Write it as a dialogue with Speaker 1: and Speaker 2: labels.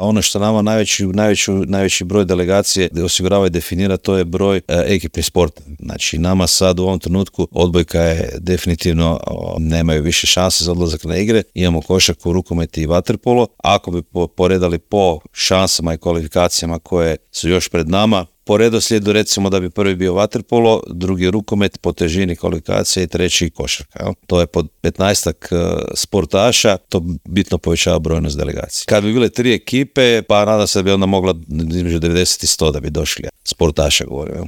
Speaker 1: a ono što nama najveći broj delegacije osigurava i definira, to je broj ekipnih sporta. Znači nama sad u ovom trenutku odbojka je definitivno, nemaju više šanse za odlazak na igre, imamo košarku, rukomet i vaterpolo. Ako bi poredali po šansama i kvalifikacijama koje su još pred nama, po redoslijedu recimo da bi prvi bio vaterpolo, drugi rukomet po težini kvalifikacije i treći košarka. Jel? To je pod 15-ak sportaša, to bitno povećava brojnost delegacije. Kad bi bile 3 ekipe, pa nadam se da bi onda mogla između 90 i 100 da bi došli sportaša, govorim. Jel?